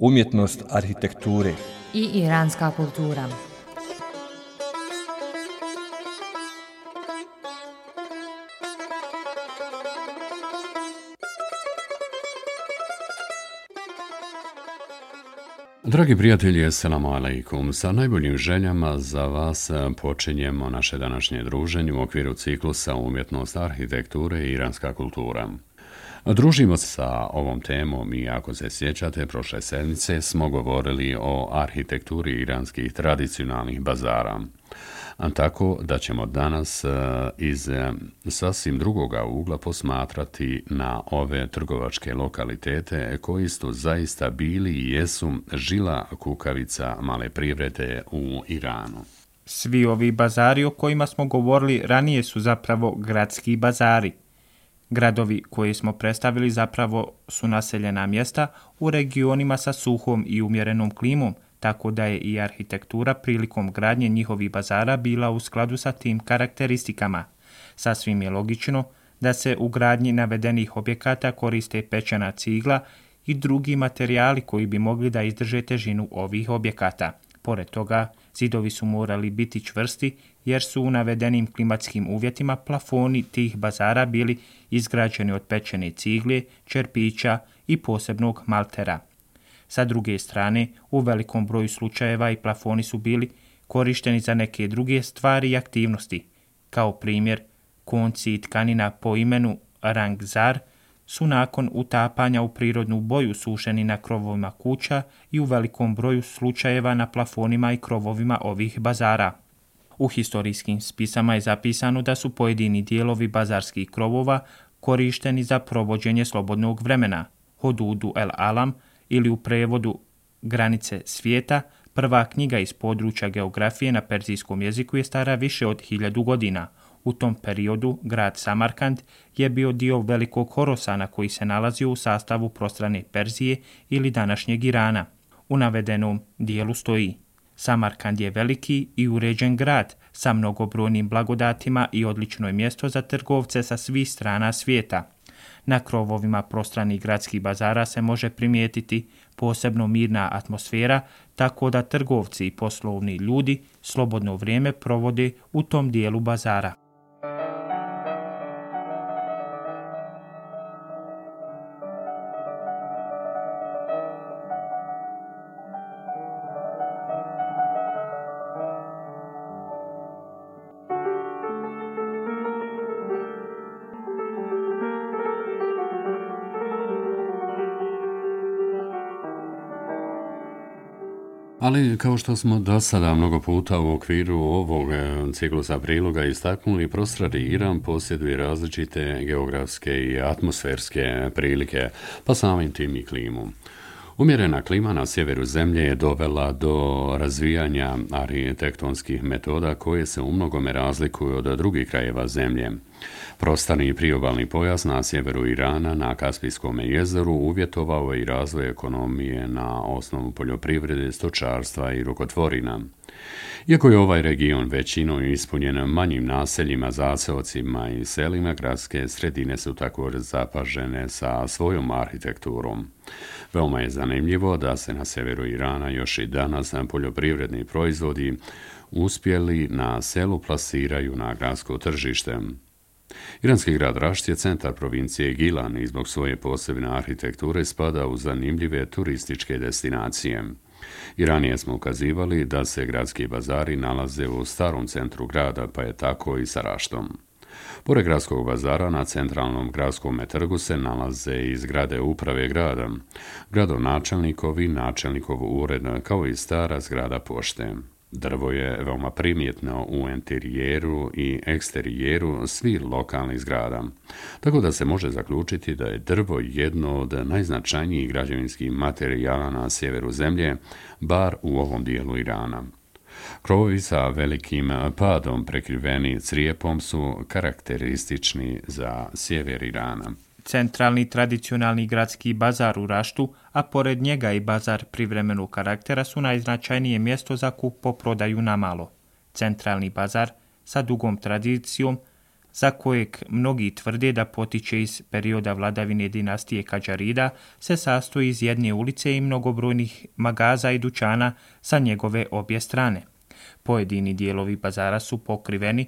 umjetnost arhitekture i iranska kultura. Dragi prijatelji, assalamu alaikum. Sa najboljim željama za vas počinjemo naše današnje druženje u okviru ciklusa umjetnost arhitekture i iranska kultura. Družimo se sa ovom temom i ako se sjećate, prošle sedmice smo govorili o arhitekturi iranskih tradicionalnih bazara. Tako da ćemo danas iz sasvim drugoga ugla posmatrati na ove trgovačke lokalitete koji su zaista bili i jesu žila kukavica male privrede u Iranu. Svi ovi bazari o kojima smo govorili ranije su zapravo gradski bazari. Gradovi koje smo predstavili zapravo su naseljena mjesta u regionima sa suhom i umjerenom klimom, tako da je i arhitektura prilikom gradnje njihovih bazara bila u skladu sa tim karakteristikama. Sasvim je logično da se u gradnji navedenih objekata koriste pečena cigla i drugi materijali koji bi mogli da izdrže težinu ovih objekata. Pored toga, zidovi su morali biti čvrsti jer su u navedenim klimatskim uvjetima plafoni tih bazara bili izgrađeni od pečene cigle, čerpića i posebnog maltera. Sa druge strane, u velikom broju slučajeva i plafoni su bili korišteni za neke druge stvari i aktivnosti. Kao primjer, konci i tkanina po imenu rangzar su nakon utapanja u prirodnu boju sušeni na krovovima kuća i u velikom broju slučajeva na plafonima i krovovima ovih bazara. U historijskim spisama je zapisano da su pojedini dijelovi bazarskih krovova korišteni za provođenje slobodnog vremena, Hududu el Alam, ili u prevodu Granice svijeta. Prva knjiga iz područja geografije na perzijskom jeziku je stara više od 1000 godina. U tom periodu grad Samarkand je bio dio velikog Horosana koji se nalazio u sastavu prostrane Perzije ili današnjeg Irana. U navedenom dijelu stoji: Samarkand je veliki i uređen grad sa mnogobrojnim blagodatima i odlično je mjesto za trgovce sa svih strana svijeta. Na krovovima prostranih gradskih bazara se može primijetiti posebno mirna atmosfera, tako da trgovci i poslovni ljudi slobodno vrijeme provode u tom dijelu bazara. Ali, kao što smo do sada mnogo puta u okviru ovog ciklusa priloga istaknuli, prostrani Iran posjeduje različite geografske i atmosferske prilike, pa samim tim i klimu. Umjerena klima na sjeveru zemlje je dovela do razvijanja arhitektonskih metoda koje se umnogome razlikuju od drugih krajeva zemlje. Prostorni priobalni pojas na sjeveru Irana na Kaspijskom jezeru uvjetovao je i razvoj ekonomije na osnovu poljoprivrede, stočarstva i rukotvorina. Iako je ovaj region većinom ispunjen manjim naseljima, zaseocima i selima, gradske sredine su također zapažene sa svojom arhitekturom. Veoma je zanimljivo da se na sjeveru Irana još i danas poljoprivredni proizvodi uspjeli na selu plasiraju na gradsko tržište. Iranski grad Rašt je centar provincije Gilan i zbog svoje posebne arhitekture spada u zanimljive turističke destinacije. I ranije smo ukazivali da se gradski bazari nalaze u starom centru grada, pa je tako i sa Raštom. Pored gradskog bazara na centralnom gradskom trgu se nalaze i zgrade uprave grada, gradonačelnikovi, načelnikov ured, kao i stara zgrada pošte. Drvo je veoma primjetno u interijeru i eksterijeru svih lokalnih zgrada, tako da se može zaključiti da je drvo jedno od najznačajnijih građevinskih materijala na sjeveru zemlje, bar u ovom dijelu Irana. Krovovi sa velikim padom prekriveni crijepom su karakteristični za sjever Irana. Centralni tradicionalni gradski bazar u Raštu, a pored njega i bazar privremenog karaktera su najznačajnije mjesto za kupoprodaju na malo. Centralni bazar sa dugom tradicijom za kojeg mnogi tvrde da potiče iz perioda vladavine dinastije Kadžarida, se sastoji iz jedne ulice i mnogobrojnih magaza i dućana sa njegove obje strane. Pojedini dijelovi bazara su pokriveni,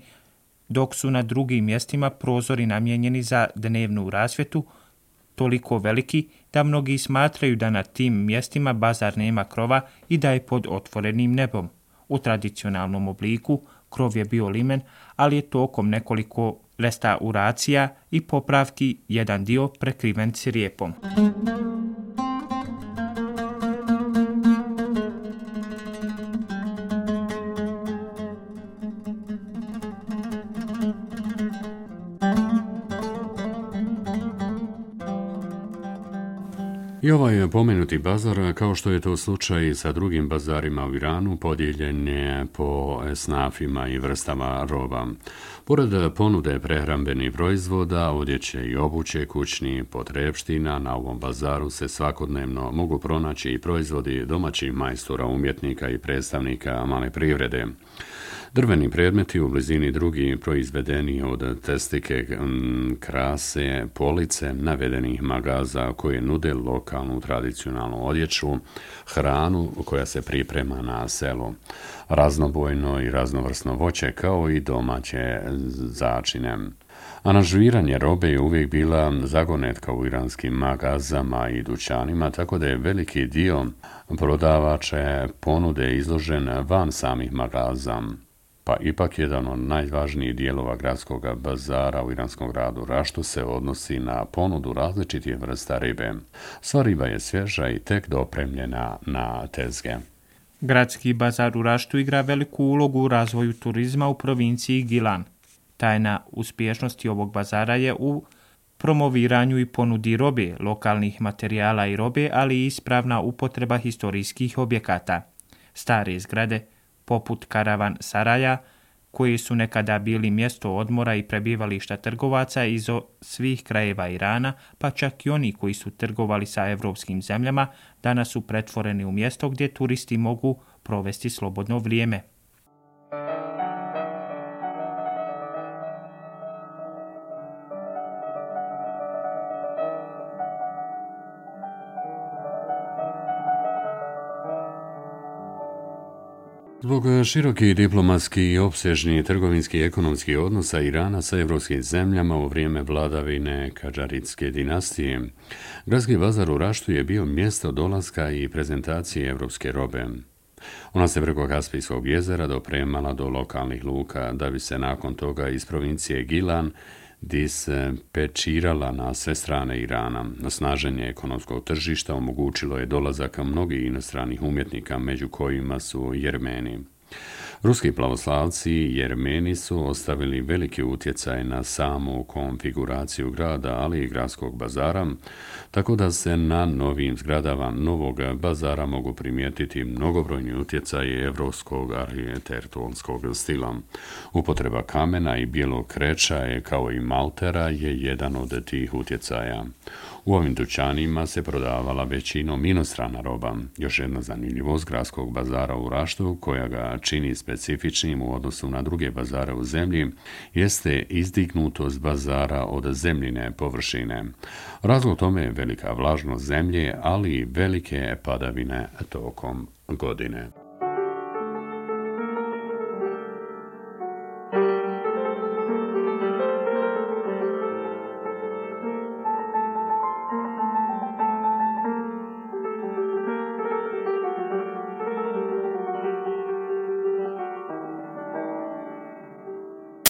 dok su na drugim mjestima prozori namijenjeni za dnevnu rasvjetu, toliko veliki da mnogi smatraju da na tim mjestima bazar nema krova i da je pod otvorenim nebom. U tradicionalnom obliku krov je bio limen, ali je tokom nekoliko restauracija i popravki jedan dio prekriven crijepom. I ovaj pomenuti bazar, kao što je to slučaj sa drugim bazarima u Iranu, podijeljen je po esnafima i vrstama roba. Pored ponude prehrambenih proizvoda, odjeće i obuće, kućnih potrepština, na ovom bazaru se svakodnevno mogu pronaći i proizvodi domaćih majstora, umjetnika i predstavnika male privrede. Drveni predmeti u blizini drugi proizvedeni od testike, krase, police navedenih magaza koje nude lokalnu tradicionalnu odjeću, hranu koja se priprema na selu, raznobojno i raznovrsno voće kao i domaće začine. Aranžiranje robe je uvijek bila zagonetka u iranskim magazama i dućanima, tako da je veliki dio prodavače ponude izložen van samih magaza. Pa ipak jedan od najvažnijih dijelova gradskog bazara u iranskom gradu Raštu se odnosi na ponudu različitih vrsta ribe. Sva riba je svježa i tek dopremljena na tezge. Gradski bazar u Raštu igra veliku ulogu u razvoju turizma u provinciji Gilan. Tajna uspješnosti ovog bazara je u promoviranju i ponudi robe, lokalnih materijala i robe, ali i ispravna upotreba historijskih objekata. Stare zgrade, poput karavan saraja, koji su nekada bili mjesto odmora i prebivališta trgovaca iz svih krajeva Irana, pa čak i oni koji su trgovali sa evropskim zemljama, danas su pretvoreni u mjesto gdje turisti mogu provesti slobodno vrijeme. Zbog širokih diplomatskih i opsežnih trgovinskih i ekonomskih odnosa Irana sa evropskim zemljama u vrijeme vladavine Kadžaridske dinastije, gradski bazar u Raštu je bio mjesto dolaska i prezentacije evropske robe. Ona se preko Kaspijskog jezera dopremala do lokalnih luka, da bi se nakon toga iz provincije Gilan dispečirala na sve strane Irana. Snaženje ekonomskog tržišta omogućilo je dolazak mnogih inostranih umjetnika, među kojima su Jermeni. Ruski pravoslavci i Jermeni su ostavili veliki utjecaj na samu konfiguraciju grada, ali i gradskog bazara, tako da se na novim zgradama novog bazara mogu primijetiti mnogobrojni utjecaji evropskog arhitektonskog stila. Upotreba kamena i bijelog kreča kao i maltera je jedan od tih utjecaja. U ovim dućanima se prodavala većinom inostrana roba. Još jedna zanimljivost gradskog bazara u Raštu, koja ga čini specifičnim u odnosu na druge bazare u zemlji, jeste izdignutost bazara od zemljine površine. Razlog tome je velika vlažnost zemlje, ali i velike padavine tokom godine.